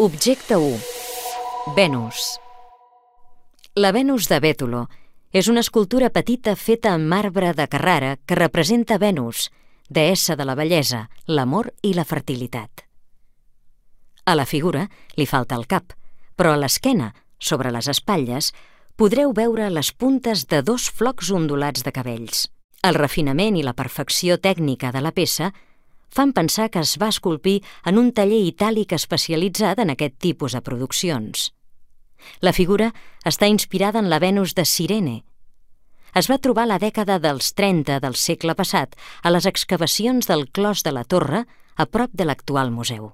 Objecte 1. Venus. La Venus de Bétolo és una escultura petita feta en marbre de Carrara que representa Venus, deessa de la bellesa, l'amor i la fertilitat. A la figura li falta el cap, però a l'esquena, sobre les espatlles, podreu veure les puntes de 2 flocs ondulats de cabells. El refinament i la perfecció tècnica de la peça fan pensar que es va esculpir en un taller itàlic especialitzat en aquest tipus de produccions. La figura està inspirada en la Venus de Cirene. Es va trobar a la dècada dels 30 del segle passat a les excavacions del Clos de la Torre, a prop de l'actual museu.